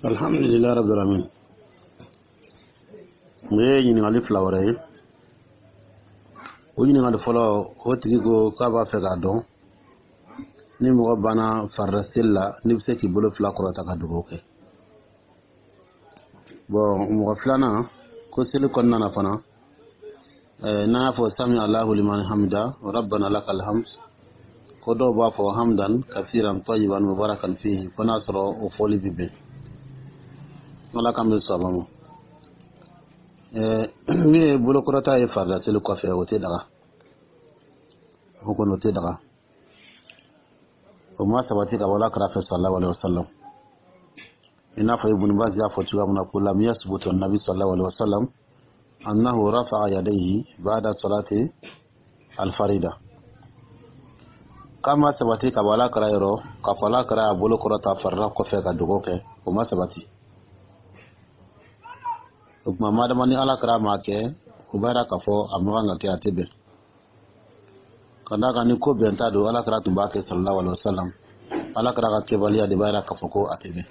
Alhamdulilayi rabbil alamin. O ye ɲininkali fila wɛrɛ ye. O ɲininkali fɔlɔ, o tigi ko k'a b'a fɛ k'a dɔn ni mɔgɔ banna farida seli la, n'i bɛ se k'i bolo fila kɔrɔta ka dugawu kɛ. Bɔn, mɔgɔ filanan ko seli kɔnɔna na fana, n'an y'a fɔ sami Allahu liman hamida rabbana lakal hamd, ko dɔw b'a fɔ hamdan kasiran tayyiban mubarakan fihi, ko n'a sɔrɔ o fɔli bɛ bɛn. Ala k'an bɛ sɔn ma. Min ye bolokɔrɔta ye farida seli kɔfɛ, o tɛ daga, o kɔni o tɛ daga, o ma sabati ka bɔ Ala kira fɛ sallallahu alaihi wasallam. I n'a fɔ Ibn Baz y'a fɔ cogoya min na ko lam yasbutu nabi sallallahu alaihi wasallam annahu rafa'a yadayhi ba'da salati al-farida, k'a ma sabati ka bɔ Ala kira yɔrɔ k'a fɔ Ala kira y'a bolo kɔrɔta farida kɔfɛ ka dugawu kɛ, o ma sabati. O tuma, madama ni Ala kira m'a kɛ, o b'a yira k'a fɔ a ma kan ka kɛ, a tɛ bɛn. Ka d'a kan ni ko bɛnta don, Ala kira tun b'a kɛ sallallahu alaihi wasallam. Ala kira ka kɛbaliya de b'a yira k'a fɔ ko a tɛ bɛn.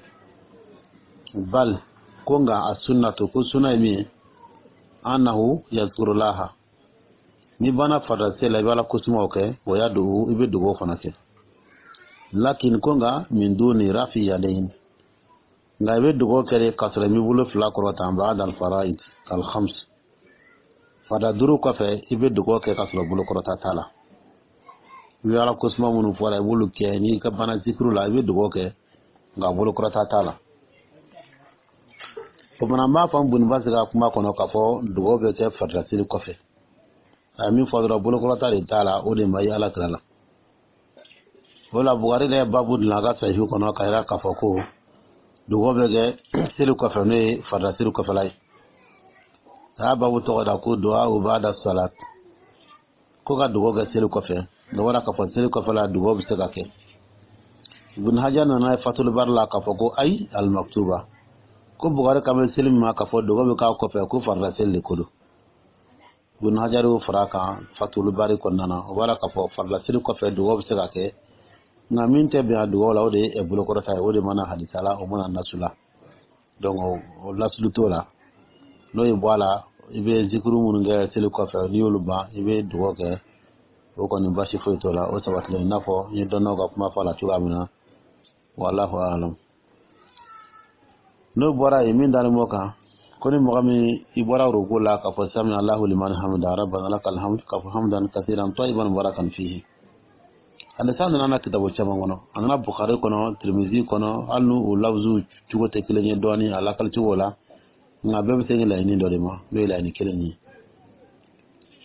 Bal ko nka a sunnatu, ko sunna ye min ye, annahu yazkurulaha, n'i banna farida seli la, i bɛ Ala kosumaw kɛ, o y'a dugu, i bɛ dugawu fana kɛ. Lakin ko nka min duni rafi yadayn, nka i bɛ dugawu kɛ de k'a sɔrɔ i m'i bolo fila kɔrɔta. Ba'da al-fara'id al-khams, farida duuru kɔfɛ, i bɛ dugawu kɛ k'a sɔrɔ bolo kɔrɔta t'a la. I bɛ Ala kosuma minnu fɔra, i b'olu kɛ. N'i ka bana zikiru la, i bɛ dugawu kɛ, nka bolo kɔrɔta t'a la. O fana, n b'a fɔ Ibn Baz ka kuma kɔnɔ k'a fɔ dugawu bɛ kɛ farida seli kɔfɛ. A ye min fɔ dɔrɔn, bolokɔrɔta de t'a la, o de ma ye Ala kira la. O la, Bukari yɛrɛ ye babu dilan a ka sahihu kɔnɔ ka yira k'a fɔ ko dugawu bɛ kɛ seli kɔfɛ, n'o ye farida seli kɔfɛla ye. A y'a babu tɔgɔ da ko du'a ba'da salat, ko ka dugawu kɛ seli kɔfɛ. O bɔra k'a fɔ seli kɔfɛla dugawu bɛ se ka kɛ. Ibn Hajar nana ye Fatul Bari la k'a fɔ ko ayi al-maktuba, ko Bukari kan bɛ seli min ma k'a fɔ dugawu bɛ k'a kɔfɛ, ko farida seli de ko don. Ibn Hajar y'o fara a kan Fatul Bari kɔnɔna na. O b'a la k'a fɔ farida seli kɔfɛ dugawu bɛ se ka kɛ, nka min tɛ bɛn a dugawu la, o de ye bolokɔrɔta ye. O de mana hadisa la, o mana nasu la, donc o lasulu t'o la. N'o ye bɔ a la, i bɛ zikiru minnu kɛ seli kɔfɛ, n'i y'olu ban, i bɛ dugawu kɛ, o kɔni basi foyi t'o la, o sabatilen, i n'a fɔ n ye dɔnnaw ka kuma fɔ a la cogoya min na. Wallahu alam. N'o bɔra yen, min dalen b'o kan, ko ni mɔgɔ min i bɔra ruku la k'a fɔ sami Allahu liman hamida rabbana lakal hamd, k'a fɔ hamdan kasiran tayyiban mubarakan fihi, hadisa nana na kitabu caman kɔnɔ. A nana Bukhari kɔnɔ, Tirimizi kɔnɔ, hali n'u o lawuzu cogo tɛ kelen ye dɔɔni a lakali cogo la, nka bɛɛ bɛ se laɲini dɔ de ma, n'o ye laɲini kelen ye.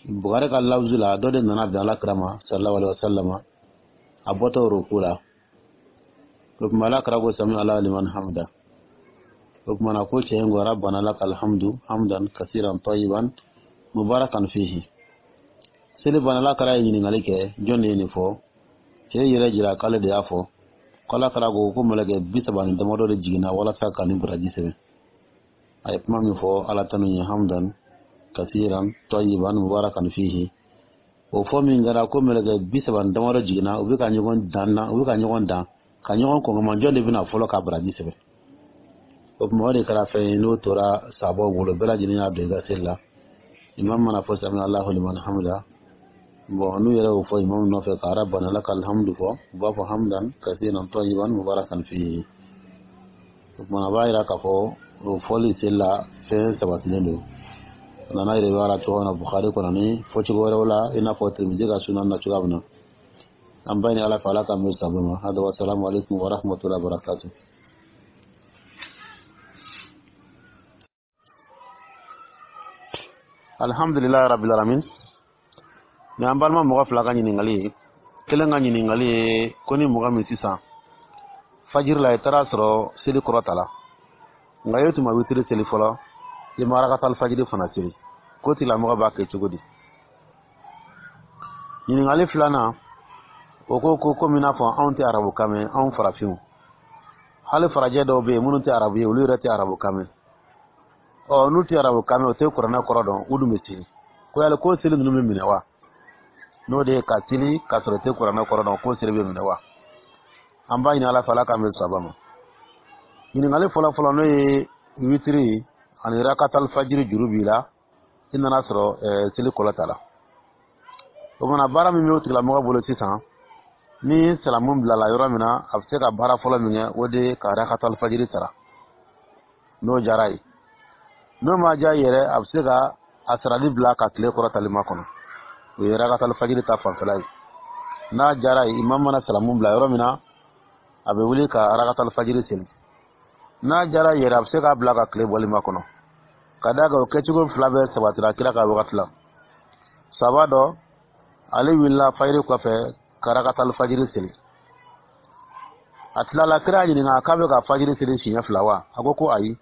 Bukhari ka lawuzu la, dɔ de nana bɛn Ala kira ma sallallahu alaihi wasallam, a bɔtɔ ruku la. O tuma, Ala kira ko sami Allahu liman hamida. O tuma na, ko cɛ in ko rabbana lakal hamdu hamdan kasiran tayyiban mubarakan fihi. Seli banna, Ala kira ye ɲininkali kɛ: jɔn de ye nin fɔ? Cɛ yɛrɛ jira k'ale de y'a fɔ. Ko Ala kira ko ko mɛlɛkɛ 30 ni damadɔ de jiginna walasa ka nin baraji sɛbɛn. A ye kuma min fɔ Ala tanu ye, hamdan kasiran tayyiban mubarakan fihi, o fɔ min kɛra, ko mɛlɛkɛ 30 ni damadɔ jiginna, u bɛ ka ɲɔgɔn dan na, u bɛ ka ɲɔgɔn dan ka ɲɔgɔn kɔngɔma, jɔn de bɛna fɔlɔ ka baraji sɛbɛn. O tuma, o de kɛra fɛn ye n'o tora sabaw bolo, bɛɛ lajɛlen y'a don i ka seli la. Imam mana fɔ sami Allahu liman hamida, bon, n'u yɛrɛ y'o fɔ imam nɔfɛ ka rabbana lakal hamdu fɔ, u b'a fɔ hamdan kasiran tayyiban mubarakan fihi. O tuma, a b'a yira k'a fɔ o fɔli seli la, fɛn sabatilen don. A nana yɛrɛ b'a la cogo min na Bukhari kɔnɔ ni fɔcogo wɛrɛw la, i n'a fɔ Tirimizi ka sunan na cogoya min na. An ba ni Ala fɛ, Ala k'an bɛ sabu ma. Hada wa salamu alaikum wa rahmatullahi wa barakatuh. Alhamdulilayi rabbil alamin. Ni an balima mɔgɔ fila ka ɲininkali ye. Kelen ka ɲininkali ye ko ni mɔgɔ min sisan fajiri la, i taara sɔrɔ seli kɔrɔta la, nka e tun ma witiri seli fɔlɔ, i ma rakatal fajiri fana seli, ko tigilamɔgɔ b'a kɛ cogo di? Ɲininkali filanan, o ko ko komi n'a fɔ anw tɛ arabukan mɛn, anw farafinw, hali farajɛ dɔw bɛ yen minnu tɛ arabu ye, olu yɛrɛ tɛ arabukan mɛn. Ɔ, n'u tɛ arabukan mɛn, o tɛ kuranɛ kɔrɔ dɔn, u dun bɛ seli. Ko yali ko seli ninnu bɛ minɛ wa? N'o de ye ka seli k'a sɔrɔ i tɛ kuranɛ kɔrɔ dɔn, ko seli bɛ minɛ wa? An b'a ɲini Ala fɛ, Ala k'an bɛ saba ma. Ɲininkali fɔlɔ fɔlɔ, n'o ye witiri ani rakatal fajiri juru b'i la, i nana sɔrɔ seli kɔlɔta la. O mana baara min bɛ o tigilamɔgɔ bolo sisan, ni salamu bilala yɔrɔ min na, a bɛ se ka baara fɔlɔ min kɛ, o de ye ka rakatal fajiri sara, n'o diyara ye. N'o ma diya yɛrɛ, a bɛ se ka a sarali bila ka tile kɔrɔtali makɔnɔ. O ye rakatal fajiri ta fanfɛla ye. N'a diyara ye, imam mana salamu bila yɔrɔ min na, a bɛ wuli ka rakatal fajiri seli. N'a diyara yɛrɛ, a bɛ se k'a bila ka tile bɔli makɔnɔ, ka d'a kan o kɛcogo fila bɛɛ sabatira kira ka wagati la. Saba dɔ, ale wulila fajiri kɔfɛ ka rakatal fajiri seli. A tilala, kira ɲininka k'a bɛ ka fajiri seli siɲɛ fila wa? A ko ko ayi,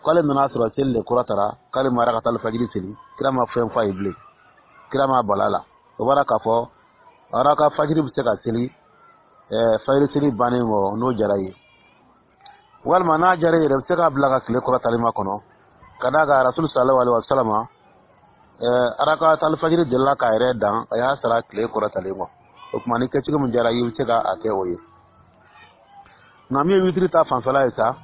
k'ale nana sɔrɔ seli de kɔrɔtara, k'ale ma rakatal fajiri seli. Kira ma fɛn f'a ye bilen, kira ma bala la. O bɔra k'a fɔ araka fajiri bɛ se ka seli fajiri seli bannen kɔ, n'o diyara ye, walima n'a diyara yɛrɛ, bɛ se k'a bila ka tile kɔrɔtali makɔnɔ, ka d'a kan Rasul sallallahu alaihi wa sallam araka talifajiri delila k'a yɛrɛ dan, a y'a sara tile kɔrɔtalen kɔ. O tuma, ni kɛcogo min diyara i ye, i bɛ se ka a kɛ o ye. Nka min ye witiri ta fanfɛla ye sa,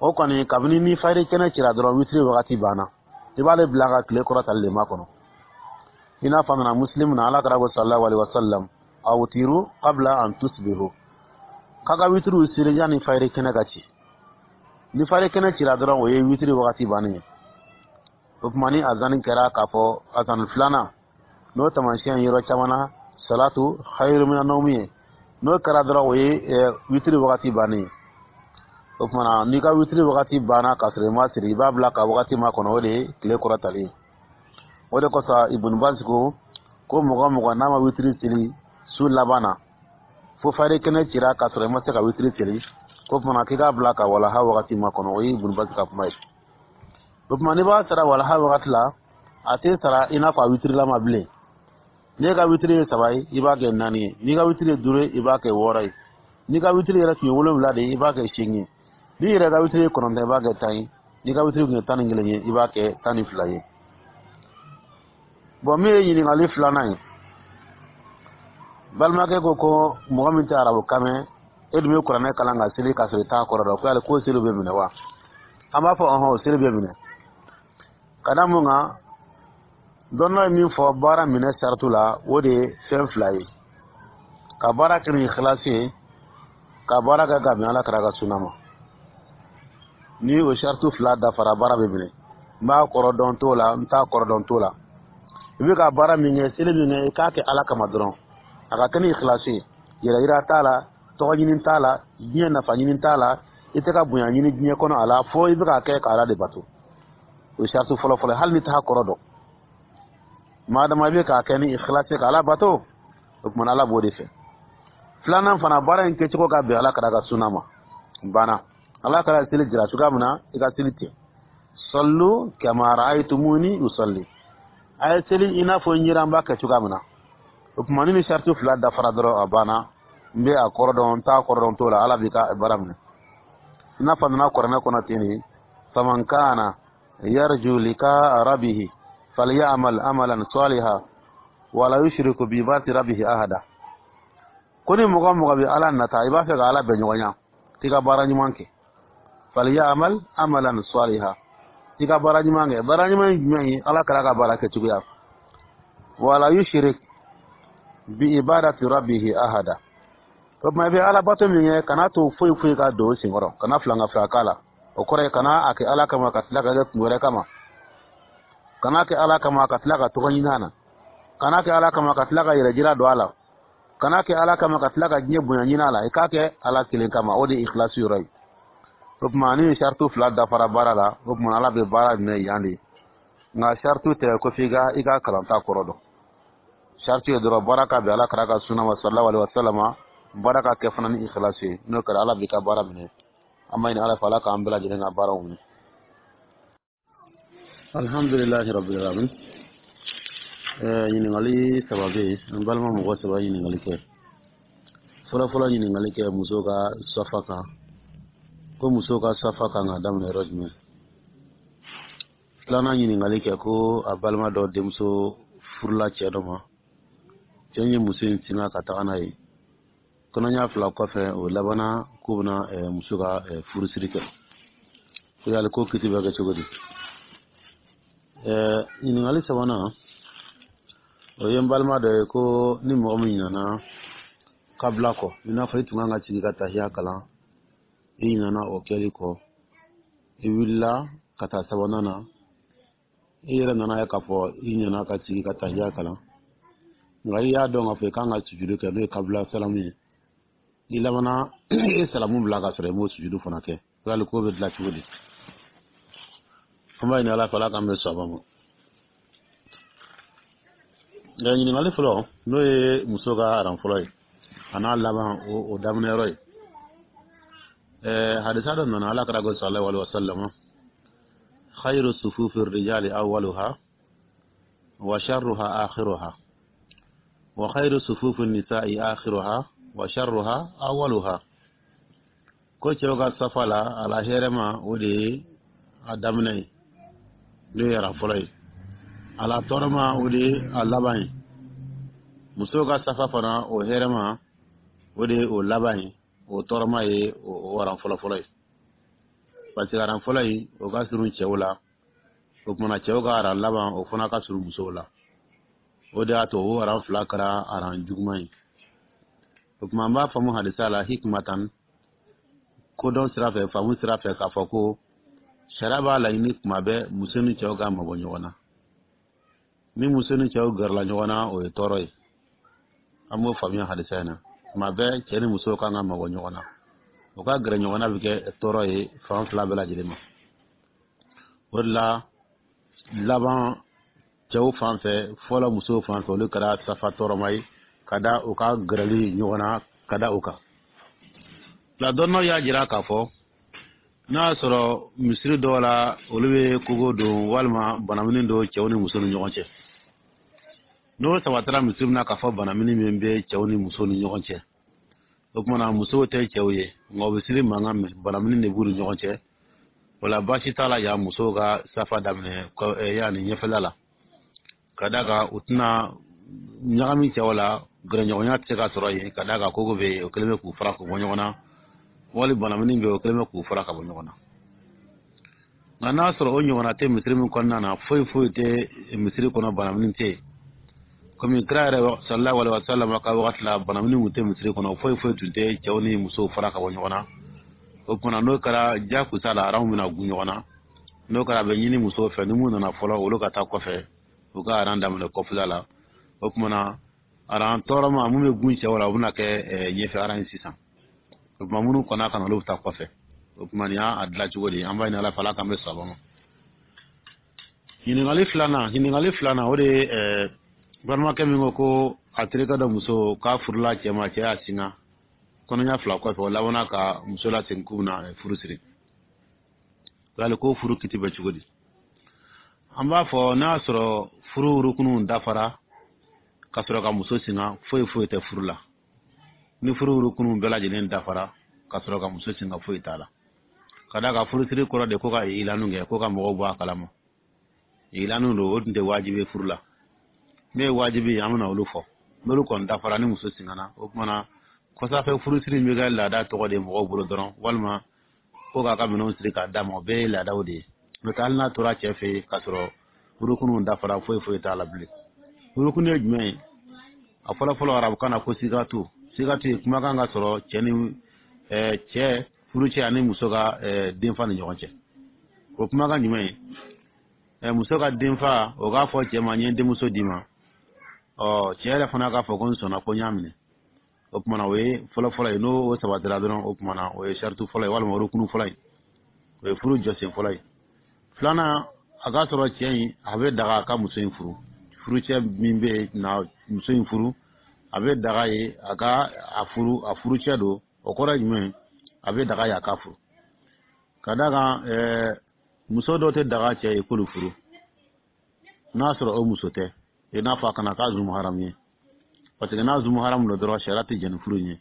o kɔni, kabini ni fajiri kɛnɛ cira dɔrɔn, witiri wagati banna. I b'ale bila ka tile kɔrɔtali de makɔnɔ. I n'a fɔ a nana Muslim na, Ala kira ko sallallahu alaihi wa sallam: awtiru qabla an tusbihu, k'a ka witiriw seli yanni fajiri kɛnɛ ka ci. Ni fajiri kɛnɛ cira dɔrɔn, o ye witiri wagati bannen ye. O tuma, ni azani kɛra k'a fɔ azani filanan, n'o taamasiyɛn yɔrɔ caman na salatu khayru mina nawmi ye, n'o kɛra dɔrɔn, o ye witiri wagati bannen ye. O tuma na, n'i ka witiri wagati banna k'a sɔrɔ i ma siri, i b'a bila ka wagati makɔnɔ, o de ye tile kɔrɔtali ye. O de kosɔn Ibn Baz ko ko mɔgɔ o mɔgɔ n'a ma witiri seli su laban na, fo fajiri kɛnɛ cira k'a sɔrɔ i ma se ka witiri seli, ko tuma k'i k'a bila ka walaha wagati makɔnɔ. O ye Ibn Baz ka kuma ye. O tuma, n'i b'a sara walaha wagati la, a tɛ sara i n'a fɔ a witirilama bilen. N'i ka witiri ye saba ye, i b'a kɛ naani ye. N'i ka witiri ye duuru ye, i b'a kɛ wɔɔrɔ ye. N'i ka witiri yɛrɛ tun ye wolonwula de ye, i b'a kɛ seegin ye. N'i yɛrɛ ka witiri ye kɔnɔntɔn, i b'a kɛ 10 ye. N'i ka witiri tun ye 11 ye, i b'a kɛ 12 ye. Bɔn, min ye ɲininkali filanan ye, balimakɛ ko ko mɔgɔ min tɛ arabukan mɛn, e dun bɛ kuranɛ kalan ka seli k'a sɔrɔ i t'a kɔrɔ dɔn, ko yali k'o seli bɛ minɛ wa? An b'a fɔ ɔhɔn, o seli bɛ minɛ. Ka da mun kan? Dɔnna ye min fɔ baara minɛ saratu la, o de ye fɛn fila ye: ka baara kɛ ni ikhlasi ye, ka baara kɛ ka bɛn Ala kira ka suna ma. Ni o saratu fila dafara, baara bɛ minɛ. N b'a kɔrɔ dɔn t'o la, n t'a kɔrɔ dɔn t'o la, i bɛ ka baara min kɛ, seli min kɛ, i k'a kɛ Ala kama dɔrɔn, a ka kɛ ni ikhlasi ye. Yɛrɛ yira t'a la, tɔgɔ ɲini t'a la, diɲɛ nafa ɲini t'a la, i tɛ ka bonya ɲini diɲɛ kɔnɔ a la, fo i bɛ k'a kɛ ka Ala de bato. O ye saratu fɔlɔ fɔlɔ. Hali ni t'a kɔrɔ dɔn, madama i bɛ k'a kɛ ni ikhlasi ka Ala bato, o tuma Ala b'o de fɛ. Filanan fana, baara in kɛcogo ka bɛn Ala kira ka suna ma. Banna, Ala kira seli jira cogoya min na, i ka seli ten. Sallu kama ra'aytumuni usalli, a ye seli i n'a fɔ n yera n b'a kɛ cogoya min na. O tuma, ni saratu fila dafara dɔrɔn, a banna. N bɛ a kɔrɔ dɔn, n t'a kɔrɔ dɔn t'o la, Ala b'i ka baara minɛ. I n'a fɔ a nana kuranɛ kɔnɔ ten de: faman kana yarju liqa rabbihi falyamal amalan saliha wala yushriku bi ibadati rabbihi ahada. Ko ni mɔgɔ mɔgɔ bɛ Ala nata, i b'a fɛ ka Ala bɛn ɲɔgɔn ɲa, k'i ka baara ɲuman kɛ. Falyamal amalan saliha, i ka baara ɲuman kɛ. Baara ɲuman ye jumɛn ye? Ala kɛra ka baara kɛ cogoya. Wala yushrik bi ibadati rabbihi ahada. O tuma, i bɛ Ala bato min kɛ, kana to foyi foyi ka don o senkɔrɔ, kana filanka fila k'a la. O kɔrɔ ye, kana a kɛ Ala kama ka tila ka kɛ kun wɛrɛ kama, kana kɛ Ala kama ka tila ka tɔgɔ ɲini a na, kana kɛ Ala kama ka tila ka yɛrɛ jira don a la, kana kɛ Ala kama ka tila ka diɲɛ bonya ɲini a la. I k'a kɛ Ala kelen kama, o de ye ikhlasi yɔrɔ ye. O tuma, ni saratu fila dafara baara la, o tuma Ala bɛ baara minɛ yan de. Nka saratu tɛ ko f'i ka i ka kalanta kɔrɔ dɔn. Saratu ye dɔrɔn baara ka bɛn Ala kira ka suna ma sallallahu alaihi wa sallam, baara ka kɛ fana ni ikhlasi ye. N'o kɛra, Ala b'i ka baara minɛ. An b'a ɲini Ala fɛ, Ala k'an bɛɛ lajɛlen ka baaraw minɛ. Alhamdulilahi rabbil alamin. Ɲininkali saba bɛ yen. An balima mɔgɔ saba ɲininkali kɛ. Fɔlɔ fɔlɔ, ɲininkali kɛ muso ka safa kan, ko muso ka safa kan ka daminɛ yɔrɔ jumɛn? Filanan, ɲininkali kɛ ko a balima dɔ denmuso furula cɛ dɔ ma, cɛ ye muso in singa ka taga n'a ye. Kɔnɔɲa 2 kɔfɛ, o labanna. k'u bɛna muso ka furusiri kɛ. Ko yali ko kiti bɛ kɛ cogo di? Ɲininkali sabanan, o ye n balima dɔ ye ko ni mɔgɔ min ɲinana kabila kɔ, i n'a fɔ i tun kan ka sigi ka tahiya kalan, i ɲinana o kɛli kɔ, i wulila ka taa sabanan na, i yɛrɛ nana ye k'a fɔ i ɲinana ka sigi ka tahiya kalan, nka i y'a dɔn k'a fɔ i kan ka sujudu kɛ, n'o ye kabila salamu ye, i labanna i ye salamu bila ka sɔrɔ i m'o sujudu fana kɛ. Yali ko bɛ dilan cogo di? An b'a ɲini Ala fɛ, Ala k'an bɛn sawaba ma. Nka ɲininkali fɔlɔ, n'o ye muso ka aran fɔlɔ ye, a n'a laban o daminɛ yɔrɔ ye, hadisa dɔ nana, Ala kira ko sallallahu alaihi wasallam: khayru sufufi rijali awwaluha wa sharruha akhiruha, wa khayru sufufi nisa'i akhiruha wa sharruha awwaluha. Ko cɛw ka safa la, a la hɛrɛma, o de ye a daminɛ ye, n'o ye aran fɔlɔ ye. A la tɔɔrɔma, o de ye a laban ye. Musow ka safa fana, o hɛrɛma, o de ye o laban ye, o tɔɔrɔma ye o aran fɔlɔ fɔlɔ ye, parce que aran fɔlɔ in, o ka surun cɛw la. O kumana, cɛw ka aran laban, o fana ka surun musow la. O de y'a to o aran fila kɛra aran juguman ye. O tuma, an b'a faamu hadisa la hikmatan, kodɔn sira fɛ, faamu sira fɛ, k'a fɔ ko sariya b'a laɲini kuma bɛɛ muso ni cɛw ka mabɔ ɲɔgɔn na. Ni muso ni cɛw gɛrɛla ɲɔgɔn na, o ye tɔɔrɔ ye. An b'o faamuya hadisa in na. Tuma bɛɛ cɛ ni muso kan ka mabɔ ɲɔgɔn na, o ka gɛrɛ ɲɔgɔn na bɛ kɛ tɔɔrɔ ye fan fila bɛɛ lajɛlen ma. O de la, laban cɛw fan fɛ, fɔlɔ musow fan fɛ, olu kɛra safa tɔɔrɔma ye ka da u ka gɛrɛli ɲɔgɔn na ka da o kan. La dɔnnaw y'a jira k'a fɔ n'a y'a sɔrɔ misiri dɔw la, olu bɛ kogo don walima banamini don cɛw ni musow ni ɲɔgɔn cɛ. N'o sabatara misiri min na k'a fɔ banamini min bɛ cɛw ni musow ni ɲɔgɔn cɛ, o tuma na musow tɛ cɛw ye, nka u bɛ seli mankan mɛn, banamini de b'u ni ɲɔgɔn cɛ, o la baasi t'a la yan musow ka safa daminɛ yanni ɲɛfɛla la, ka d'a kan u tɛna ɲagami cɛw la, gɛrɛɲɔgɔnya tɛ se ka sɔrɔ yen, ka d'a kan kogo bɛ yen, o kɛlen bɛ k'u fara k'u bɔ ɲɔgɔn na, wali banamini bɛ yen, o kɛlen bɛ k'u fara ka bɔ ɲɔgɔn na. Nka n'a sɔrɔ o ɲɔgɔnna tɛ misiri min kɔnɔna na, foyi foyi tɛ misiri kɔnɔ, banamini tɛ yen, komi kira yɛrɛ sallallahu alaihi wa sallam ka wagati la, banamini tun tɛ misiri kɔnɔ, foyi foyi tun tɛ cɛw ni musow fara ka bɔ ɲɔgɔn na. O tuma, n'o kɛra jakusa la, aranw bɛna gun ɲɔgɔn na. N'o kɛra, a bɛ ɲini musow fɛ, ni mun nana fɔlɔ, olu ka taa kɔfɛ, u ka aran daminɛ kɔfɛla la. O tuma na, aran tɔɔrɔma mun bɛ gun cɛw la, o bɛna kɛ ɲɛfɛ aran ye sisan. O tuma, minnu kɔnna ka na, olu bɛ taa kɔfɛ. O tuma, nin y'a dilan cogo di? An b'a ɲini Ala fɛ, Ala k'an bɛ saba ma. Ɲininkali filanan, o de ye balimakɛ min ko ko a terikɛ dɔ muso k'a furula cɛ ma, cɛ y'a singa kɔnɔɲɛ 2 kɔfɛ, o labanna ka muso lasegin k'u bɛna furu siri. Yali ko furu kiti bɛ cogo di? An b'a fɔ n'a y'a sɔrɔ furu rukunuw dafara ka sɔrɔ ka muso singa, foyi foyi tɛ furu la. Ni furu rukunuw bɛɛ lajɛlen dafara ka sɔrɔ ka muso singa, foyi t'a la, ka d'a kan furusiri kɔrɔ de ko ka ilanu kɛ, ko ka mɔgɔw bɔ a kalama. Ilanu don, o tun tɛ wajibi furu la. Min ye wajibi ye, an bɛna olu fɔ. N'olu kɔni dafara, ni muso singana, o kumana kɔsafɛ furusiri bɛ kɛ laada tɔgɔ de ye mɔgɔw bolo dɔrɔn, walima ko k'a ka minɛnw siri k'a d'a ma, o bɛɛ ye laadaw de ye. N'o tɛ, hali n'a tora cɛ fɛ yen k'a sɔrɔ rukunuw dafara, foyi foyi t'a la bilen. Rukunu ye jumɛn ye? A fɔlɔ fɔlɔ, arabukan na ko sigatu. Sigatu ye kumakan ka sɔrɔ cɛ ni cɛ furucɛ ani muso ka denfa ni ɲɔgɔn cɛ. O kumakan jumɛn ye? Muso ka denfa, o k'a fɔ cɛ ma: "N ye denmuso d'i ma." Ɔ, cɛ yɛrɛ fana k'a fɔ ko: "N sɔnna, ko n y'a minɛ." O kumana, o ye fɔlɔ fɔlɔ ye. N'o sabatira dɔrɔn, o kumana o ye saritu fɔlɔ ye, walima rukunu fɔlɔ ye, o ye furu jɔsen fɔlɔ ye. Filanan, a k'a sɔrɔ cɛ in, a bɛ daga a ka muso in furu. Furucɛ min bɛ na muso in furu, a bɛ daga ye a ka a furu, a furucɛ don. O kɔrɔ ye jumɛn ye? A bɛ daga ye a ka furu, ka d'a kan muso dɔw tɛ daga cɛ ye k'olu furu, n'a sɔrɔ o muso tɛ, i n'a fɔ a kana k'a zumu haramu ye, parce que n'a zumu haramu don dɔrɔn, sariya tɛ jɛn ni furu in ye.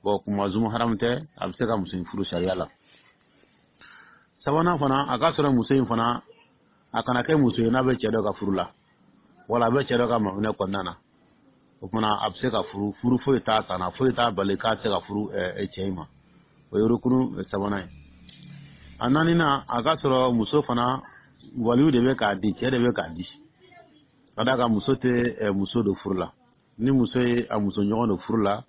Bon, kuma zumu haramu tɛ, a bɛ se ka muso in furu sariya la. Sabanan fana, a ka sɔrɔ muso in fana, a kana kɛ muso ye n'a bɛ cɛ dɔ ka furu la, wala a bɛ cɛ dɔ ka maminɛ kɔnɔna na. O kumana, a bɛ se ka furu, furu foyi t'a kana, foyi t'a bali k'a tɛ se ka furu cɛ in ma. O ye rukunu sabanan ye. A naaninan, a ka sɔrɔ muso fana waliyu de bɛ k'a di, cɛ de bɛ k'a di, ka d'a kan muso tɛ muso don furu la. Ni muso ye a muso ɲɔgɔn don furu la,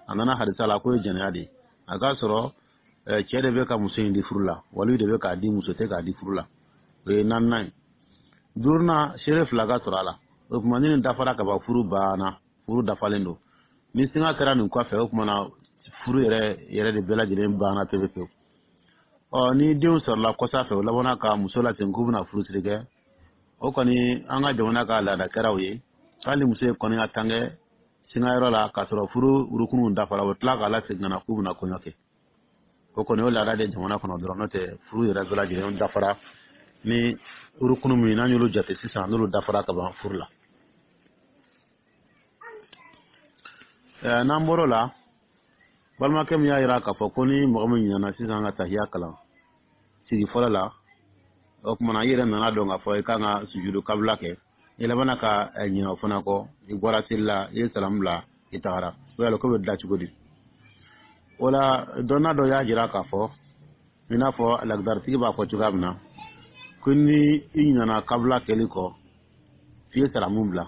a nana hadisa la k'o ye jɛnɛya de ye. A k'a sɔrɔ cɛ de bɛ ka muso in di furu la, waliyu de bɛ k'a di, muso tɛ k'a di furu la. O ye naaninan ye. Duurunan, seere fila ka sɔrɔ a la. O tuma, ni nin dafara ka ban, furu banna, furu dafalen don. Ni singa kɛra nin kɔfɛ, o tuma na furu yɛrɛ yɛrɛ de bɛɛ lajɛlen banna pewu pewu. Ɔ, ni denw sɔrɔla kɔsa fɛ, o labanna ka muso lasegin k'u bɛna furusiri kɛ, o kɔni, an ka jamana ka laada kɛra o ye. Hali muso ye kɔnɔya tan kɛ singayɔrɔ la k'a sɔrɔ furu rukunuw dafara, o tila k'a lasegin ka na k'u bɛna kɔɲɔ kɛ. O kɔni, o laada de jamana kɔnɔ dɔrɔn. N'o tɛ, furu yɛrɛ bɛɛ lajɛlen dafara ni rukunu min, n'an y'olu jate sisan, n'olu dafara ka ban furu la. N'an bɔr'o la, balimakɛ min y'a jira k'a fɔ ko ni mɔgɔ min ɲinɛna sisan ka tahiya kalan sigi fɔlɔ la, o tuma na i yɛrɛ nana dɔn k'a fɔ i kan ka sujudu kabila kɛ, i labanna ka ɲinɛ o fana kɔ, i bɔra seli la, i ye salamu bila, i tagara, o yala ko bɛ dilan cogo di? O la, dɔnna dɔ y'a jira k'a fɔ, i n'a fɔ lagdaritigi b'a fɔ cogoya min na, ko ni i ɲinɛna kabila kɛli kɔ f'i ye salamu bila,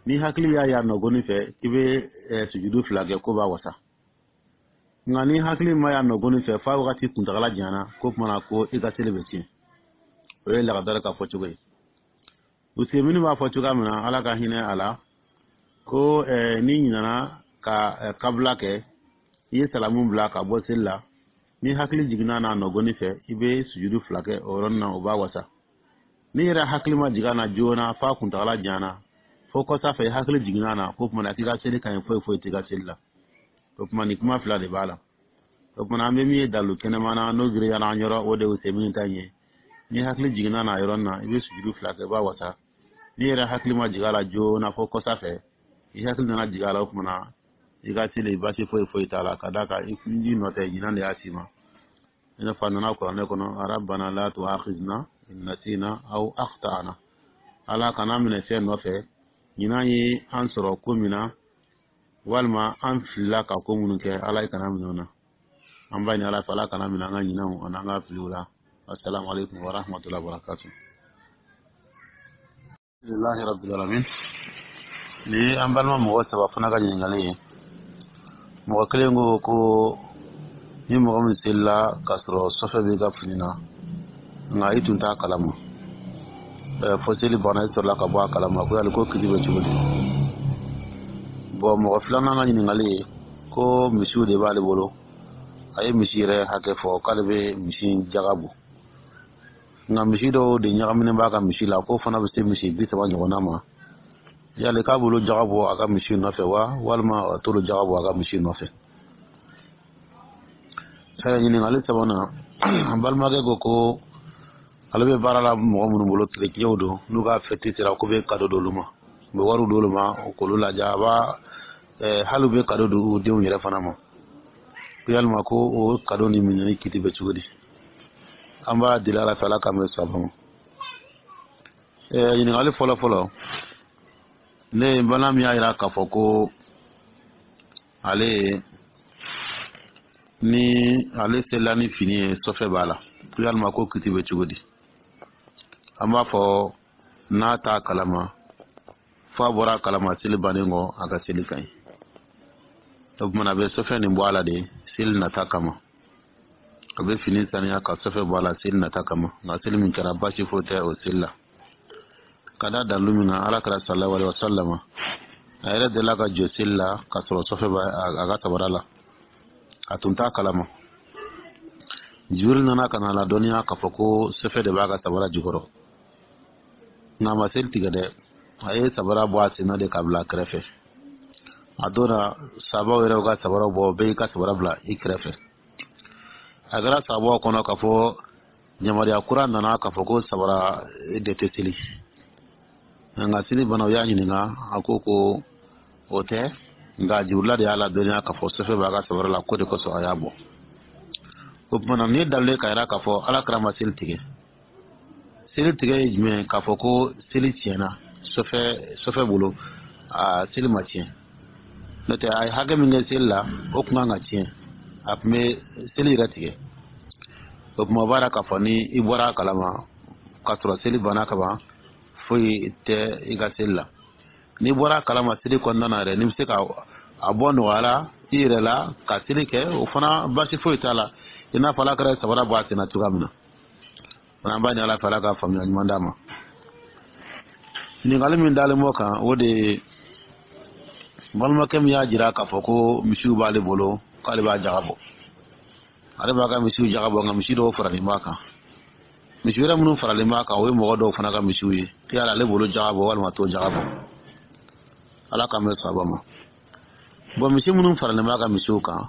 ni hakili y'a y'a nɔgɔni fɛ k'i bɛ sujudu fila kɛ, ko b'a wasa. Nka ni hakili ma y'a nɔgɔni fɛ f'a wagati kuntagala janyana, ko tuma na ko i ka seli bɛ tiɲɛ. O ye lagadari ka fɔ cogo ye. Usemini b'a fɔ cogoya min na, Ala ka hinɛ a la, ko n'i ɲinɛna ka kabila kɛ, i ye salamu bila ka bɔ seli la, ni hakili jiginna n'a nɔgɔni fɛ, i bɛ sujudu fila kɛ o yɔrɔnin na, o b'a wasa. N'i yɛrɛ hakili ma jigin a na joona f'a kuntagala janyana, fo kɔsa fɛ i hakili jiginna a na, k'o tuma na k'i ka seli ka ɲi, foyi foyi t'i ka seli la. O tuma, nin kuma fila de b'a la. O tuma, an bɛ min ye dalu kɛnɛma na, n'o girinyara an yɔrɔ, o de ye Usemini ta in ye. Ni hakili jiginna n'a yɔrɔnin na, i bɛ sujudu fila kɛ, i b'a wasa. N'i yɛrɛ hakili ma jigin a la joona fo kɔsa fɛ i hakili nana jigin a la, o tuma na i ka seli, baasi foyi foyi t'a la, ka d'a kan i nɔ tɛ, ɲinan de y'a s'i ma. I n'a fɔ a nana kuranɛ kɔnɔ: "Rabbana la tu'akhidhna in nasina aw akhtana." Ala kana minɛ fɛn nɔfɛ, ɲinan ye an sɔrɔ ko min na, walima an filila ka ko minnu kɛ, Ala ye kana minɛ o na. An b'a ɲini Ala fɛ, Ala kana minɛ an ka ɲinanw ani an ka filiw la. Assalamu alaikum wa rahmatullahi wa barakatuh. Alhamdulillahi rabbil alamin. Ni an balima mɔgɔ saba fana ka ɲininkali ye. Mɔgɔ kelen ko ko ni mɔgɔ min selila k'a sɔrɔ sɔfɛ b'i ka fini na, nka i tun t'a kalama, fo seli banna i sɔrɔla ka bɔ a kalama, ko yali ko kiti bɛ cogo di? Bɔn, mɔgɔ filanan ka ɲininkali ye ko misiw de b'ale bolo, a ye misi yɛrɛ hakɛ fɔ, k'ale bɛ misi jaga bɔ, nka misi dɔw de ɲagaminen b'a ka misi la, k'o fana bɛ se misi 30 ɲɔgɔnna ma. Yali k'a bolo jaga bɔ a ka misi nɔfɛ wa, walima a t'olu jaga bɔ a ka misi nɔfɛ? Ɲininkali sabanan, balimakɛ ko ko ale bɛ baara la mɔgɔ minnu bolo, kerecɛnw don, n'u ka fɛti sera k'u bɛ kado d'olu ma, u bɛ wariw d'olu ma k'olu lajɛ, a b'a hali u bɛ kado d'u denw yɛrɛ fana ma, ko yalima ko o kado ni minɛni kiti bɛ cogo di? An b'a deli Ala fɛ, Ala k'an bɛ saba ma. Ɲininkali fɔlɔ fɔlɔ, ne ye bana min y'a jira k'a fɔ ko ale ni ale selila ni fini ye, sɔfɛ b'a la, ko yalima ko kiti bɛ cogo di? An b'a fɔ n'a t'a kalama f'a bɔra a kalama seli bannen kɔ, a ka seli ka ɲi. O tuma, a bɛ sɔfɛ nin bɔ a la de seli nata kama. A bɛ fini saniya ka sɔfɛ bɔ a la seli nata kama. Nka seli min kɛra, baasi foyi tɛ o seli la, ka da dalilu min kan, Ala kɛra sallallahu alaihi wasallam, a yɛrɛ delila ka jɔ seli la ka sɔrɔ sɔfɛ bɛ a ka sabara la, a tun t'a kalama. Jibril nana ka na ladɔnniya k'a fɔ ko sɔfɛ de b'a ka sabara jukɔrɔ, nka a ma seli tigɛ dɛ, a ye sabara bɔ a sen na de ka bila a kɛrɛfɛ. A donna, sabaw yɛrɛ ka sabara bɔ, bɛɛ y'i ka sabara bila i kɛrɛfɛ. A kɛra sabaw kɔnɔ k'a fɔ yamaruya kura nana k'a fɔ ko sabara de tɛ seli. Nka seli bana, u y'a ɲininka, a ko ko o tɛ, nka Jibrila de y'a ladɔnniya k'a fɔ sɔfɛ b'a ka sabara la, ko de kosɔn a y'a bɔ. O tuma na, nin ye dalilu ye k'a jira k'a fɔ Ala kɛra ma seli tigɛ. Seli tigɛ ye jumɛn? K'a fɔ ko seli tiɲɛna sɔfɛ bolo, a seli ma tiɲɛ. N'o tɛ, a ye hakɛ min kɛ seli la, o tun kan ka tiɲɛ. A tun bɛ seli yɛrɛ tigɛ. O tuma, o b'a k'a fɔ ni i bɔra a kalama k'a sɔrɔ seli banna ka ban, foyi tɛ i ka seli la. N'i bɔra a kalama seli kɔnɔna na yɛrɛ, n'i bɛ se ka a bɔ nɔgɔya la i yɛrɛ la ka seli kɛ, o fana baasi foyi t'a la, i n'a fɔ Ala kɛra sabara bɔ a sen na cogoya min na. Fana, an b'a ɲini Ala fɛ, Ala ka faamuya ɲuman d'a ma. Ɲininkali min dalen b'o kan, o de ye balimakɛ min y'a jira k'a fɔ ko misiw b'ale bolo, k'ale b'a jaga bɔ, ale b'a ka misiw jaga bɔ, nka misi dɔw faralen b'a kan. Misi wɛrɛ minnu faralen b'a kan, o ye mɔgɔ dɔw fana ka misiw ye. Yala ale bolo jaga bɔ walima t'o jaga bɔ? Ala k'an bɛ sababa ma. Bɔn, misi minnu faralen b'a ka misiw kan,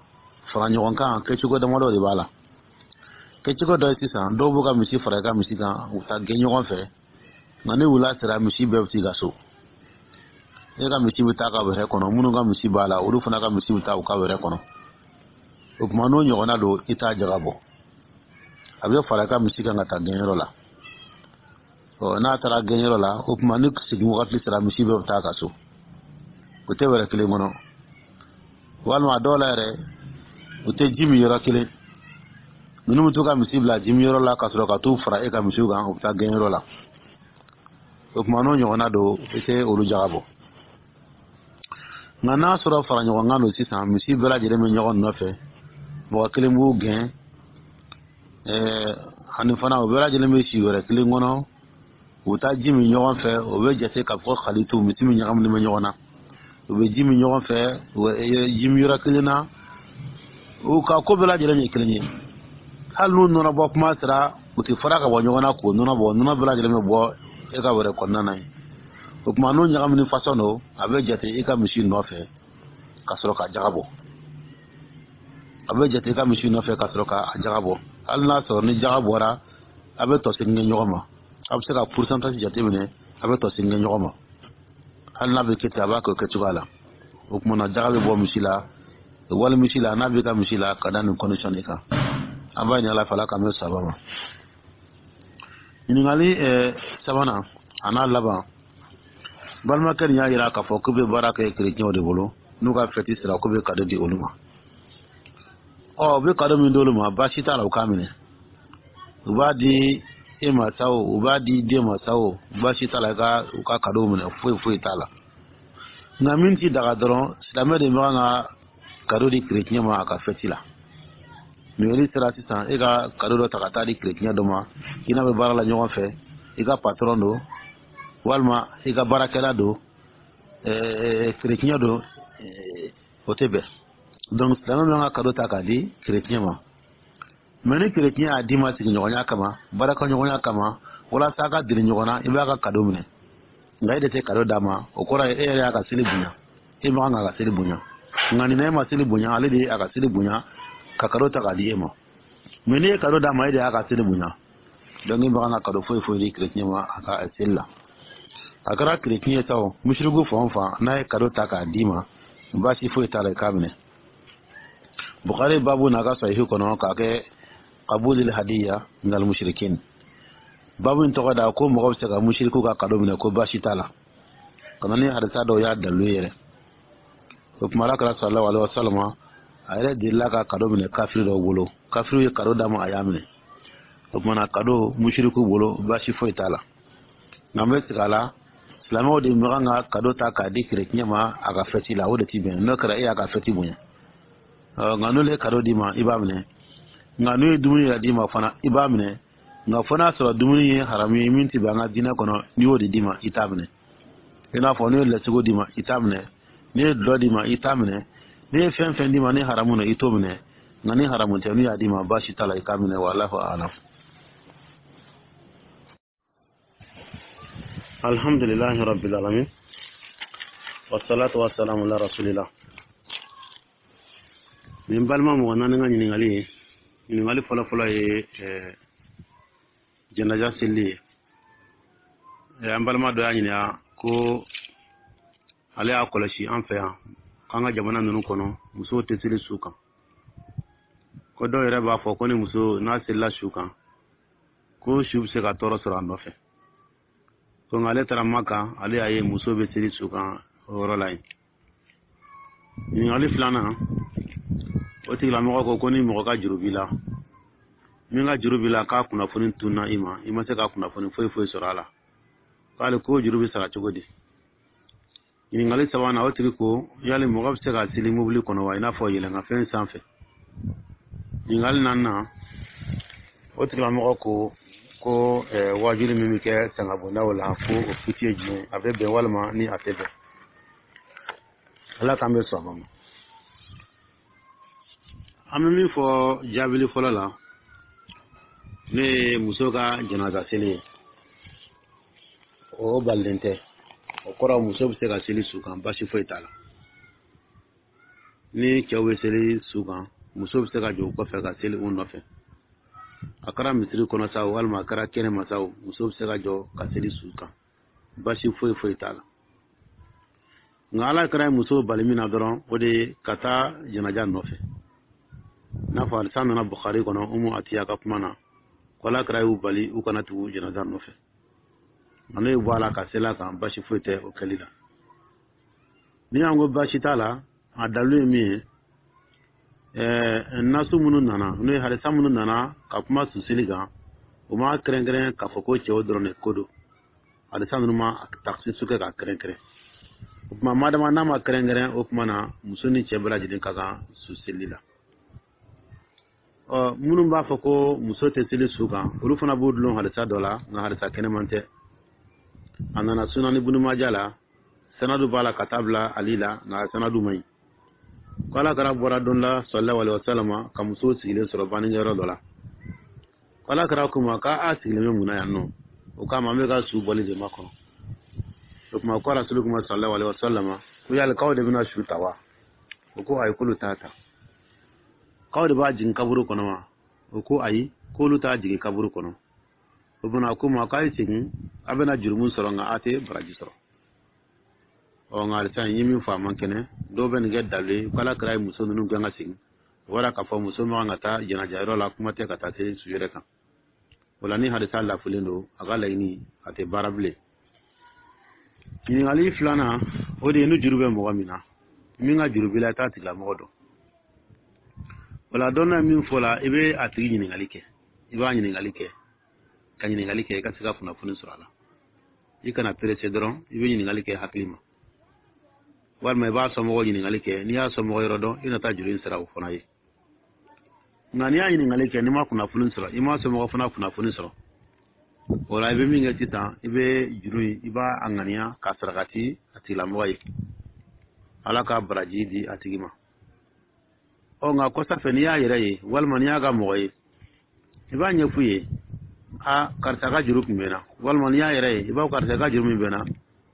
fara ɲɔgɔn kan kɛcogo damadɔ de b'a la. Kɛcogo dɔ ye sisan, dɔw b'u ka misi fara i ka misi kan, u taa gɛn ɲɔgɔn fɛ, nka ni wula sera, misi bɛɛ bɛ t'i ka so. E ka misi bɛ taa ka wɛrɛ kɔnɔ, minnu ka misi b'a la, olu fana ka misi bɛ taa u ka wɛrɛ kɔnɔ. O tuma, n'o ɲɔgɔnna don, i t'a jaga bɔ. A bɛ fara i ka misi kan ka taa gɛnyɔrɔ la. Ɔ, n'a taara gɛnyɔrɔ la, o tuma ni segin wagati sera, misi bɛɛ bɛ taa ka so, o tɛ wɛrɛ kelen kɔnɔ. Walima a dɔw la yɛrɛ, u tɛ ji min yɔrɔ kelen. Ninnu bɛ to ka misi bila ji min yɔrɔ la ka sɔrɔ ka t'u fara e ka misiw kan, u bɛ taa gɛnyɔrɔ la. O tuma, n'o ɲɔgɔnna don, i tɛ olu jaga bɔ. Nka n'a sɔrɔ fara ɲɔgɔn kan don sisan, misi bɛɛ lajɛlen bɛ ɲɔgɔn nɔfɛ, mɔgɔ kelen b'u gɛn, ani fana u bɛɛ lajɛlen bɛ si wɛrɛ kelen kɔnɔ, u bɛ taa ji min ɲɔgɔn fɛ, o bɛ jate k'a fɔ xalitu, misi min ɲagaminen bɛ ɲɔgɔn na. U bɛ ji min ɲɔgɔn fɛ ji min yɔrɔ kelen na, u ka ko bɛɛ lajɛlen ye kelen ye. Hali n'u nɔnɔ bɔ kuma sera, u tɛ fara ka bɔ ɲɔgɔn na k'o nɔnɔ bɔ, nɔnɔ bɛɛ lajɛlen bɛ bɔ e ka wɛrɛ kɔnɔna na yen. O tuma, n'o ɲagamini fasɔn don, a bɛ jate i ka misi nɔfɛ ka sɔrɔ ka jaga bɔ. A bɛ jate i ka misi nɔfɛ ka sɔrɔ ka jaga bɔ. Hali n'a sɔrɔ ni jaga bɔra, a bɛ tɔ segin kɛ ɲɔgɔn ma, a bɛ se ka pourcentage jateminɛ, a bɛ tɔ segin kɛ ɲɔgɔn ma. Hali n'a bɛ kɛ ten, a b'a kɛ o kɛcogoya la. O tuma na, jaga bɛ bɔ misi la wali misi la, n'a bɛ ka misi la ka da nin condition de kan. An b'a ɲini Ala fɛ, Ala k'an bɛ saba ma. Ɲininkali sabanan a n'a laban, balimakɛ nin y'a jira k'a fɔ k'u bɛ baara kɛ kerecɛnw de bolo, n'u ka fɛti sera, k'u bɛ cadeau di olu ma. Ɔ, u bɛ cadeau min d'olu ma, baasi t'a la, u k'a minɛ. U b'a di e ma sa o, u b'a di den ma sa o, baasi t'a la, i ka u ka cadeau minɛ, foyi foyi t'a la. Nka min ti daga dɔrɔn, silamɛ de bɛ kan ka cadeau di kerecɛn ma a ka fɛti la. Noël sera sisan, e ka cadeau dɔ ta ka taa di kerecɛn dɔ ma, i n'a bɛ baara la ɲɔgɔn fɛ, i ka patron don walima i ka baarakɛla don, kerecɛn don, o tɛ bɛn. Donc silamɛ bɛ ka cadeau ta k'a di kerecɛn ma, mais ni kerecɛn y'a d'i ma sigiɲɔgɔnya kama, baarakɛɲɔgɔnya kama, walasa a ka deli ɲɔgɔn na, i b'a ka cadeau minɛ, nka e de tɛ cadeau d'a ma. O kɔrɔ ye e yɛrɛ y'a ka seli bonya, e ma kan k'a ka seli bonya. Nka nin na, e ma seli bonya, ale de ye a ka seli bonya ka cadeau ta k'a di e ma. Mais n'i ye cadeau d'a ma, e de y'a ka seli bonya. Donc e ma kan ka cadeau foyi foyi di kerecɛn ma a ka seli la. A kɛra kerecɛn ye sa o, musiriku fan o fan, n'a ye cadeau ta k'a d'i ma, baasi foyi t'a la, i k'a minɛ. Bukhari babu n'a ka sahihu kɔnɔ k'a kɛ qabulil hadiya minal mushrikin, babu in tɔgɔ da ko mɔgɔ bɛ se ka musiriku ka cadeau minɛ, ko baasi t'a la. Ka na ni hadisa dɔw y'a dalilu yɛrɛ. O tuma, Ala kɛra sallallahu alaihi wa sallam, a yɛrɛ delila ka cadeau minɛ kafiri dɔw bolo. Kafiriw ye cadeau d'a ma, a y'a minɛ. O tuma na, cadeau musiriku bolo, baasi foyi t'a la. Nka n bɛ segin a la, silamɛw de man kan ka cadeau ta k'a di kerecɛn ma a ka fɛti la, o de ti bɛn. N'o kɛra, e y'a ka fɛti bonya. Nka n'olu ye cadeau d'i ma, i b'a minɛ. Nka n'u ye dumuni yɛrɛ d'i ma fana, i b'a minɛ. Nka fo n'a sɔrɔ dumuni ye haramu ye min ti bɛn an ka diinɛ kɔnɔ, n'i y'o de d'i ma, i t'a minɛ. I n'a fɔ n'u ye lɛsogo d'i ma, i t'a minɛ. N'i ye dɔlɔ d'i ma, i t'a minɛ. N'i ye fɛn fɛn d'i ma ni haramu don, i t'o minɛ. Nka ni haramu tɛ, n'u y'a d'i ma, baasi t'a la, i k'a minɛ. Wallahu a'lam. Alhamdulillahi rabbil alamin, wassalatu wassalamu ala rasulillah. Nin balima mɔgɔ naani ka ɲininkali ye, ɲininkali fɔlɔfɔlɔ ye janaja seli ye. An balima dɔ y'a ɲininka ko ale y'a kɔlɔsi an fɛ yan k'an ka jamana ninnu kɔnɔ, musow tɛ seli su kan, ko dɔw yɛrɛ b'a fɔ ko ni muso n'a selila su kan, ko su bɛ se ka tɔɔrɔ sɔrɔ a nɔfɛ. Ko nka ale taara Maka, ale y'a ye muso bɛ seli su kan o yɔrɔ la yen. Ɲininkali filanan, O tigilamɔgɔ ko ko ni mɔgɔ ka juru b'i la, min ka juru b'i la, k'a kunnafoni tunna i ma, i ma se ka kunnafoni foyi foyi sɔrɔ a la, k'ale ko juru bɛ sara cogo di? Ɲininkali sabanan, o tigi ko yali mɔgɔ bɛ se ka seli mobili kɔnɔ wa, i n'a fɔ yɛlɛnkanfɛn sanfɛ? Ɲininkali naaninan, o tigilamɔgɔ ko ko waajuli min bɛ kɛ sangabondaw la, ko o kiti ye jumɛn, a bɛ bɛn walima ni a tɛ bɛn? Ala k'an bɛ sɔn a ma. An bɛ min fɔ jaabili fɔlɔ la, ne ye muso ka janaza seli ye, o balilen tɛ. O kɔrɔ, muso bɛ se ka seli su kan, basi foyi t'a la. Ni cɛw bɛ seli su kan, muso bɛ se ka jɔ u kɔfɛ ka seli u nɔfɛ. A kɛra misiri kɔnɔ sa, walima a kɛra kɛnɛma sa, muso bɛ se ka jɔ ka seli su kan, basi foyi foyi t'a la. Nka Ala kɛra muso bali min na dɔrɔn, o de ye ka taa janaja nɔfɛ. N'a fɔ hadisa nana Bukhari kɔnɔ, Umu Atiya ka kuma na, ko Ala kɛra y'u bali u kana tugu janaja nɔfɛ. Nka n'o ye bɔ a la ka seli a kan, basi foyi tɛ o kɛli la. Ni y'an ko basi t'a la, a dalilu ye min ye, nasu minnu nana, n'o ye hadisa minnu nana ka kuma susili kan, o ma kɛrɛnkɛrɛn k'a fɔ ko cɛw dɔrɔn de ko don. Hadisa ninnu ma taksisu kɛ k'a kɛrɛnkɛrɛn. O tuma, madama n'a ma kɛrɛnkɛrɛn, o tuma na muso ni cɛ bɛɛ lajɛlen ka kan susili la. Ɔ, minnu b'a fɔ ko muso tɛ seli su kan, olu fana b'u dulon hadisa dɔ la, nka hadisa kɛnɛman tɛ. A nana Sunani Bunumaja la, sanadu b'a la ka taa bila Ali la, nka sanadu man ɲi. Ko Ala kɛra bɔra don la, sallallahu alaihi wasallam, ka muso sigilen sɔrɔ bannikɛyɔrɔ dɔ la. Ko Ala kɛra ko ma k'a sigilen bɛ mun na yan nɔ? O k'a ma, an bɛ ka su bɔli de makɔnɔ. O tuma ko Rasulu kuma, sallallahu alaihi wasallam, ko yali k'aw de bɛna su ta wa? O ko ayi, k'olu t'a ta. K'aw de b'a jigin kaburu kɔnɔ wa? O ko ayi, k'olu t'a jigin kaburu kɔnɔ. O fana ko ma k'a ye segin, a bɛna jurumu sɔrɔ, nka a tɛ baraji sɔrɔ. Ɔ, nka halisa n ye min fɔ, a man kɛnɛ. Dɔw bɛ nin kɛ dalu ye ko Ala kɛra ye muso ninnu gɛn ka segin. O bɔra k'a fɔ muso man kan ka taa jɛnajayɔrɔ la, kuma tɛ ka taa se su yɛrɛ kan. O la, ni hadisa lafulen don, a ka laɲini a tɛ baara bilen. Ɲininkali filanan, o de ye ni juru bɛ mɔgɔ min na, min ka juru b'i la, i t'a tigilamɔgɔ dɔn. O la, dɔnna ye min fɔ la, i bɛ a tigi ɲininkali kɛ, i b'a ɲininkali kɛ, ka ɲininkali kɛ, i ka se ka kunnafoni sɔrɔ a la. I kana perese dɔrɔn, i bɛ ɲininkali kɛ hakili ma, walima i b'a sɔmɔgɔ ɲininkali kɛ. N'i y'a sɔmɔgɔ yɔrɔ dɔn, i na taa juru in sara o fana ye. Nka n'i y'a ɲininkali kɛ, n'i ma kunnafoni sɔrɔ, i ma sɔmɔgɔ fana kunnafoni sɔrɔ, o la i bɛ min kɛ sisan, i bɛ juru in, i b'a a ŋaniya k'a sarakati a tigilamɔgɔ ye, Ala ka baraji di a tigi ma. Ɔ, nka kɔsa fɛ, n'i y'a yɛrɛ ye walima n'i y'a ka mɔgɔ ye, i b'a ɲɛf'u ye: a karisa ka juru tun bɛ n na. Walima n'i y'a yɛrɛ ye, i b'a fɔ: karisa ka juru min bɛ n na,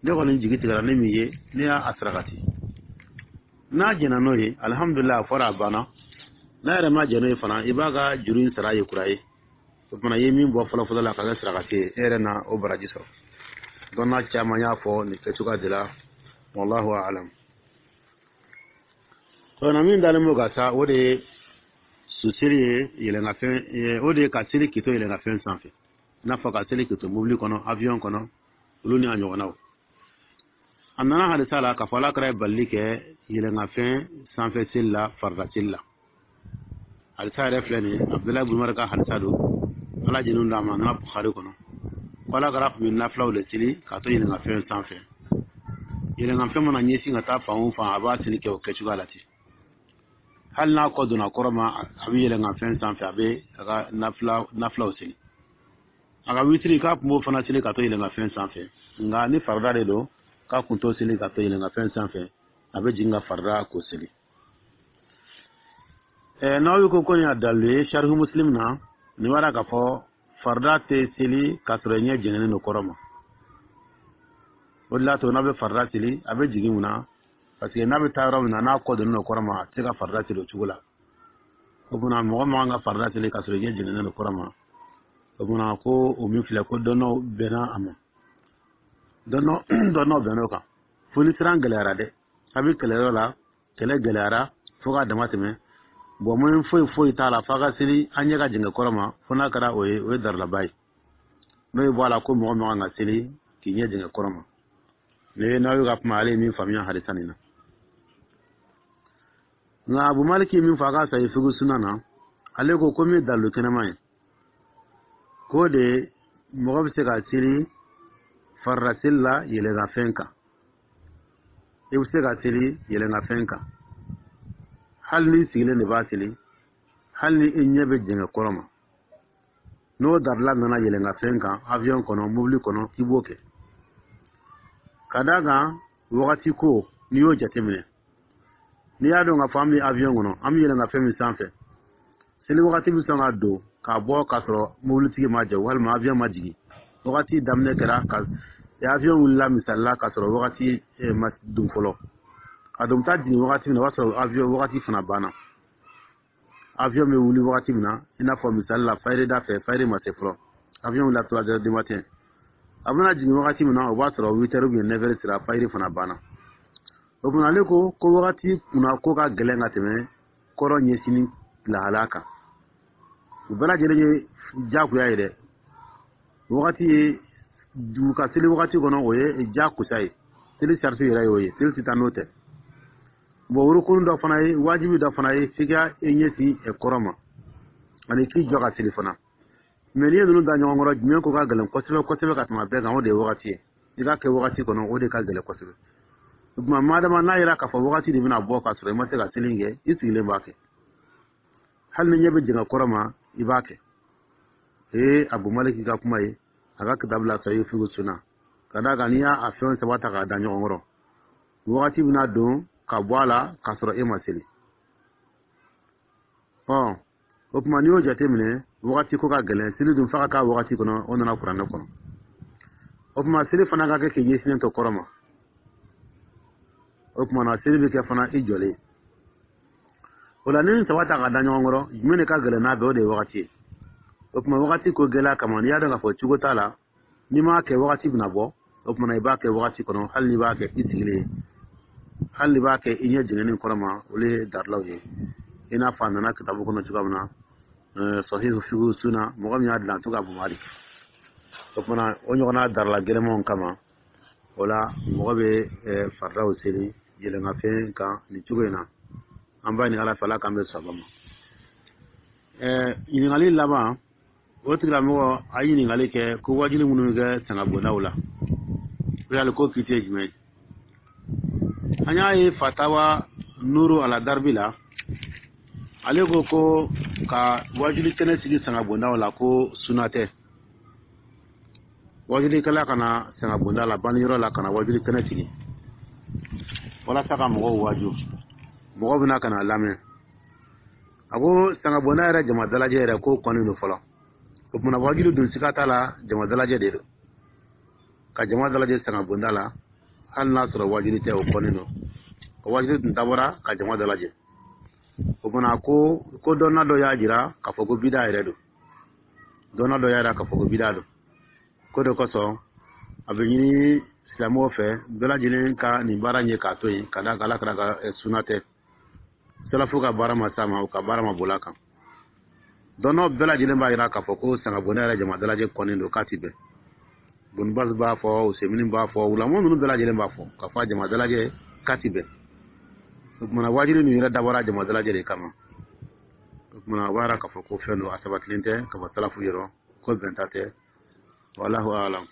ne kɔni jigi tigɛra ne min ye, ne y'a a sarakati. N'a jɛnna n'o ye, alihamudulila, a fɔra a banna. N'a yɛrɛ ma jɛn n'o ye fana, i b'a ka juru in sara ye kura ye. O fana ye min bɔ fɔlɔ fɔlɔ la ka kɛ sarakati ye, e yɛrɛ na o baraji sɔrɔ. Dɔnna caman y'a fɔ nin kɛcogoya de la, wallahu alam. Na min dalen b'o kan sa, o de ye susiri ye yɛlɛnkanfɛn, o de ye ka seli k'i to yɛlɛnkanfɛn sanfɛ, i n'a fɔ ka seli k'i to mobili kɔnɔ, avion kɔnɔ, olu ni a ɲɔgɔnnaw. A nana hadisa la k'a fɔ Ala kɛra ye balili kɛ yɛlɛnkanfɛn sanfɛ seli la, farida seli la. Hadisa yɛrɛ filɛ nin ye, Abudulayi bin Umar ka hadisa don, Ala jɛn'u d'a ma. A nana Bukhari kɔnɔ ko Ala kɛra tun bɛ nafilaw de seli k'a to yɛlɛnkanfɛn sanfɛ. Yɛlɛnkanfɛn mana ɲɛsin ka taa fan o fan, a b'a seli kɛ o kɛcogoya la ten. Hali n'a kɔ donna kɔrɔ ma, a bɛ yɛlɛnkanfɛn sanfɛ, a bɛ a ka nafilaw seli. A ka witiri, k'a tun b'o fana seli ka to yɛlɛnkanfɛn sanfɛ. Nka ni farida de don, k'a kun t'o seli ka to yɛlɛnkanfɛn sanfɛ, a bɛ jigin ka farida k'o seli. N'aw ko ko nin y'a dalilu ye, Sarihu Muslim na, nin b'a k'a fɔ farida tɛ seli k'a sɔrɔ i ɲɛ jɛngɛnnen don kɔrɔ ma. O de la to n'a bɛ farida seli, a bɛ jigin mun na? Parce que n'a bɛ taa yɔrɔ min na, n'a kɔ donnen don kɔrɔ ma, a tɛ se ka farida seli o cogo la. O tuma, mɔgɔ man kan ka farida seli k'a sɔrɔ i ɲɛ jɛngɛnnen don kɔrɔ ma. O tuma, ko o min filɛ, ko dɔnnaw bɛnna a ma, dɔnnaw bɛnn'o kan, fo ni siran gɛlɛyara dɛ. A bɛ kɛlɛyɔrɔ la, kɛlɛ gɛlɛyara fo k'a dama tɛmɛ, bɔn, mun foyi foyi t'a la f'a ka seli an ɲɛ ka jɛngɛ kɔrɔ ma. Fo n'a kɛra o ye, o ye darilaba ye. N'o ye bɔ a la, ko mɔgɔ man kan ka seli k'i ɲɛ jɛngɛ kɔrɔ ma. Ne n'aw ka kuma, ale ye min faamuya hadisa nin na. Nka Abu Maliki min fɔ a ka sayi figu suna na, ale ko min ye dalilu kɛnɛma ye, k'o de mɔgɔ bɛ se ka seli farida seli la yɛlɛnkanfɛn kan. I bɛ se ka seli yɛlɛnkanfɛn kan hali n'i sigilen de b'a seli, hali ni i ɲɛ bɛ jɛngɛ kɔrɔ ma. N'o darila nana yɛlɛnkanfɛn kan, avion kɔnɔ, mobili kɔnɔ, k'i b'o kɛ. Ka d'a kan wagati ko, n'i y'o jateminɛ, n'i y'a dɔn k'a fɔ an bɛ avion kɔnɔ, an bɛ yɛlɛnkanfɛn min sanfɛ, seli wagati bɛ sɔn ka don k'a bɔ k'a sɔrɔ mobilitigi ma jɔ walima avion ma jigin. Wagati daminɛ kɛra ka avion wulila misali la k'a sɔrɔ wagati ma don fɔlɔ. A don bɛ taa jigin wagati min na, o b'a sɔrɔ avion wagati fana banna. Avion bɛ wuli wagati min na, i n'a fɔ misali la fayiri da fɛ, fayiri ma se fɔlɔ, avion wulila 3 heures du matin, a bɛna jigin wagati min na, o b'a sɔrɔ 8 heures ou bien 9 heures sera, fayiri fana banna. O tuma ale ko wagati kunna ko ka gɛlɛn ka tɛmɛ kɔrɔ ɲɛsinni lahalaya kan. U bɛɛ lajɛlen ye diyagoya ye dɛ. Wagati ye dugu ka seli wagati kɔnɔ, o ye diyagosa ye, seli sariti yɛrɛ y'o ye, seli tɛ taa n'o tɛ. Bon, wurukun dɔ fana ye wajibi dɔ fana ye, f'i ka i ɲɛsin kɔrɔ ma ani k'i jɔ ka seli fana. Mɛ n'i ye ninnu da ɲɔgɔn kɔrɔ, jumɛn ko ka gɛlɛn kosɛbɛ kosɛbɛ ka tɛmɛ bɛɛ kan? O de ye wagati ye. I k'a kɛ wagati kɔnɔ, o de ka gɛlɛn kosɛbɛ. O tuma madama n'a yɛrɛ k'a fɔ wagati de bɛna bɔ k'a sɔrɔ i ma se ka seli kɛ, i sigilen b'a kɛ, hali ni ɲɛ bɛ jɛngɛ kɔrɔ ma, i b'a kɛ. Ee, Abu Maliki ka kuma ye a ka kitabu la sayi figu suna. Ka d'a kan n'i y'a fɛn saba ta k'a da ɲɔgɔn kɔrɔ, wagati bɛna don ka bɔ a la k'a sɔrɔ e ma seli. Ɔ, o tuma n'i y'o jateminɛ, wagati ko ka gɛlɛn. Seli dun f'a ka k'a wagati kɔnɔ, o nana kuranɛ kɔnɔ. O tuma seli fana ka kɛ k'i ɲɛsinnen to kɔrɔ ma. O tuma na seli bɛ kɛ fana i jɔlen. O la ni saba ta ka da ɲɔgɔn kɔrɔ, jumɛn de ka gɛlɛn n'a bɛɛ? O de ye wagati ye. O tuma wagati ko gɛlɛya kama, n'i y'a dɔn k'a fɔ cogo t'a la, n'i m'a kɛ wagati bɛna bɔ, o tuma i b'a kɛ wagati kɔnɔ, hali n'i b'a kɛ i sigilen, hali n'i b'a kɛ i ɲɛ jɛngɛnnen kɔrɔ ma. Olu ye darilaw ye, i n'a fɔ a nana kitabu kɔnɔ cogoya min na, sahihu figu suna, mɔgɔ min y'a dilan to ka Abu Malik. O tuma o ɲɔgɔnna darila gɛlɛmanw kama, o la mɔgɔ bɛ faridaw seli yɛlɛnkanfɛn kan nin cogo in na. An b'a ɲini Ala fɛ, Ala k'an bɛ saba ma. Ɲininkali laban, o tigilamɔgɔ a ye ɲininkali kɛ ko wajuli minnu bɛ kɛ sangabondaw la, o yali ko kiti ye jumɛn ye? An y'a ye fatawa nuru ala daribi la, ale ko ka wajuli kɛnɛ sigi sangabondaw la, ko suna tɛ. Wajulikɛla kana sangabonda la, baniyɔrɔ la, kana wajuli kɛnɛ sigi walasa ka mɔgɔw waju, mɔgɔw bɛna ka na lamɛn. A ko sangabonda yɛrɛ jama dalajɛ yɛrɛ ko kɔni don fɔlɔ. O tuma wajuli dun, siga t'a la, jama dalajɛ de don. Ka jama dalajɛ sangabonda la, hali n'a sɔrɔ wajuli tɛ, o kɔni don. O wajuli dun dabɔra ka jama dalajɛ. O tuma ko dɔnna dɔ y'a jira k'a fɔ ko bida yɛrɛ don. Dɔnna dɔ y'a jira k'a fɔ ko bida don. Ko de kosɔn a bɛ ɲini silamɛw fɛ bɛɛ lajɛlen ka nin baara ɲɛ k'a to yen, ka d'a kan Ala kɛra ka suna tɛ, salafu ka baara ma s'a ma, u ka baara ma boli a kan. Dɔnnaw bɛɛ lajɛlen b'a jira k'a fɔ ko sangabonda yɛrɛ jama dalajɛ kɔni don, k'a ti bɛn. Bonibasi b'a fɔ, Usemini b'a fɔ, wulamu ninnu bɛɛ lajɛlen b'a fɔ k'a fɔ a jama dalajɛ k'a ti bɛn. O tuma wajuli ninnu yɛrɛ dabɔra jama dalajɛ de kama. O tuma o b'a jira k'a fɔ ko fɛn don, a sabatilen tɛ ka bɔ salafu yɔrɔ, ko bɛnta tɛ. Wallahu alam.